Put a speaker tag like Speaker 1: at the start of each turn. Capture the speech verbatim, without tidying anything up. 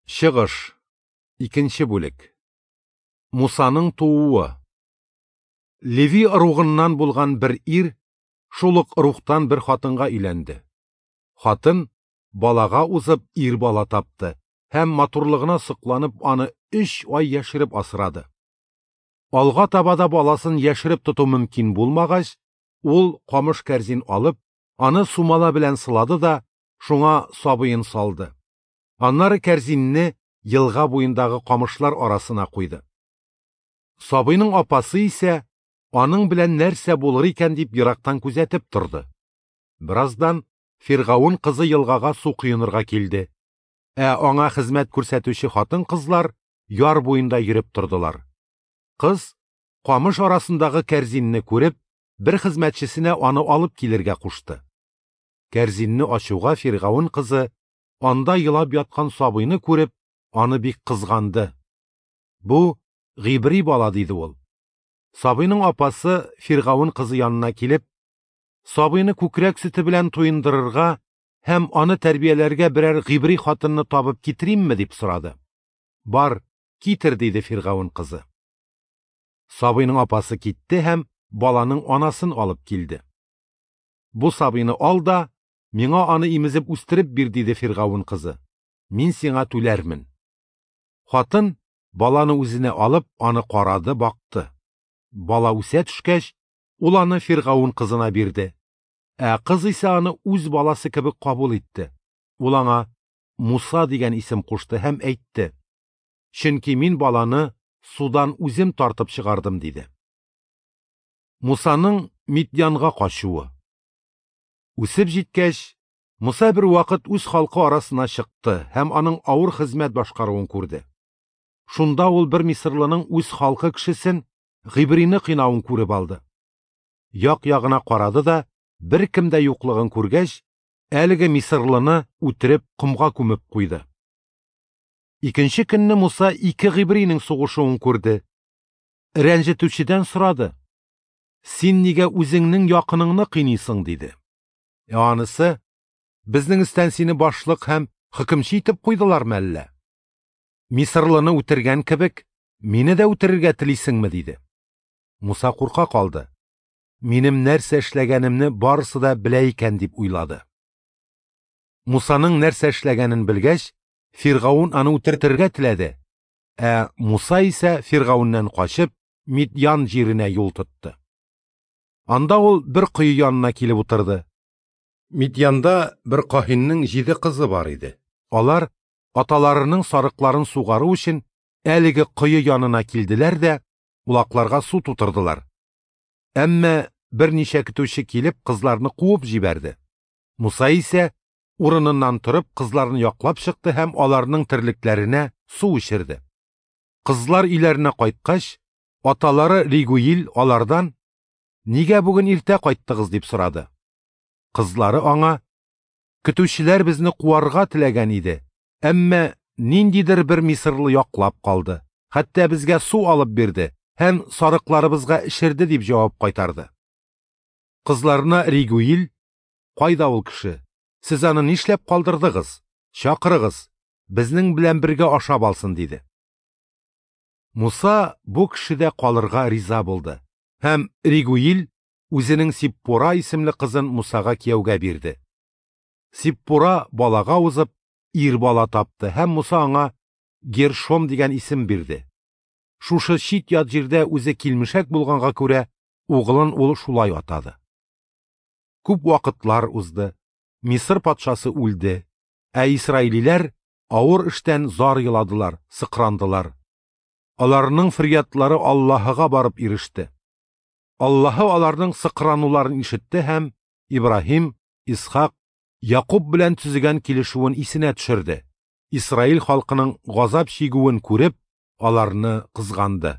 Speaker 1: Чыгыш. Икенче бүлек. Мусаның тууы. Леви ыругыннан булган бер ир шул ук ыругтан бер хатынга өйләнде. Хатын балага узып ир бала тапты һәм матурлыгына сокланып аны өч ай яшереп асрады. Алга таба да баласын яшереп тоту мөмкин булмагач, ул камыш кәрзин алып, аны сумала белән сылады да шуңа сабыен салды. Аннары кәрзинне елга буендагы камышлар арасына куйды. Сабыйның апасы исә аның белән нәрсә булыр икән дип ерактан күзәтеп торды. Бераздан Фиргавен кызы елгага су коенырга килде. Ә аңа хезмәт күрсәтүче хатын-кызлар яр буенда йөреп тордылар. Кыз камыш арасындагы кәрзинне күреп, бер хезмәтчесенә аны алып килергә кушты. Кәрзинне ачуга Фиргавен кызы анда елап яткан сабыйны күреп, аны бик кызганды. Бу гыйбри бала, диде ул. Сабыйның апасы Фиргавен кызы янына килеп, сабыйны күкрәк сөте белән туендырырга һәм аны тәрбияләргә берәр гыйбри хатынны табып китеримме дип сорады. Бар, китер, диде Фиргавен кызы. Сабыйның апасы китте һәм баланың анасын алып килде. Бу сабыйны ал да, миңа аны имезеп үстереп бир, диде Фиргавен кызы. Мин сиңа түләрмен. Хатын баланы үзенә алып, аны карады, бакты. Бала үсә төшкәч, ул аны Фиргавен кызына бирде. Ә кыз исә аны үз баласы кебек кабул итте. Ул аңа Муса дигән исем кушты һәм әйтте: Чөнки мин баланы судан үзем тартып чыгардым, диде. Мусаның Мидьянга качуы. Үсеп җиткәч, Муса бер вакыт үз халкы арасына чыкты һәм аның авыр хезмәт башкаруын күрде. Шунда ул бер мисырлының үз халкы кешесен гыйбрине кыйнавын күреп алды. Як-ягына карады да, бер кем дә юклыгын күргәч, әлеге мисырлыны үтереп комга күмеп куйды. Икенче көнне Муса ике гыйбринең сугышуын күрде. Рәнҗетүчедән сорады: Син нигә үзеңнең якыныңны кыйныйсың, диде. Ә анысы: Безнең өстән сине башлык һәм хөкемче итеп куйдылармы әллә? Мисырлыны үтергән кебек, мине дә үтерергә телисеңме, диде. Муса курка калды. Минем нәрсә эшләгәнемне барысы да белә икән дип уйлады. Мусаның нәрсә эшләгәнен белгәч, Фиргавен аны үтертергә теләде. Ә Муса исә Фиргавеннән качып, Мидьян җиренә юл тотты. Анда ул бер кое янына килеп утырды. Мидьянда бер каһиннең җиде кызы бар иде. Алар аталарының сарыкларын сугару өчен әлеге кое янына килделәр дә улакларга су тутырдылар. Әмма берничә көтүче килеп кызларны куып җибәрде. Муса исә урыныннан торып кызларны яклап чыкты һәм аларның терлекләренә су эчерде. Кызлар өйләренә кайткач, аталары Ригуил алардан: Нигә бүген иртә кайттыгыз, дип сорады. Кызлары аңа: Көтүчеләр безне куарга теләгән иде, әмма ниндидер бер мисырлы яклап калды, хәтта безгә су алып бирде һәм сарыкларыбызга эчерде, дип җавап кайтарды. Кызларына Ригуил: Кайда ул кеше? Сез аны нишләп калдырдыгыз? Чакырыгыз, безнең белән бергә ашап алсын, диде. Муса бу кешедә калырга риза булды һәм Ригуил үзенең Сиппура исемле кызын Мусага кияүгә бирде. Сиппура балага узып, ир бала тапты һәм Муса аңа Гершом дигән исем бирде. Шушы чит-ят җирдә үзе килмешәк булганга күрә, угылын ул шулай атады. Күп вакытлар узды. Мисыр патшасы үлде, ә исраилиләр авыр эштән зар еладылар, сыкрандылар. Аларның фөрьядлары Аллаһыга барып иреште. Аллаһы аларның сыкрануларын ишетте һәм Ибраһим, Исхак, Якуб белән төзегән килешүен исенә төшерде. Исраил халкының газап чигүен күреп, аларны кызганды.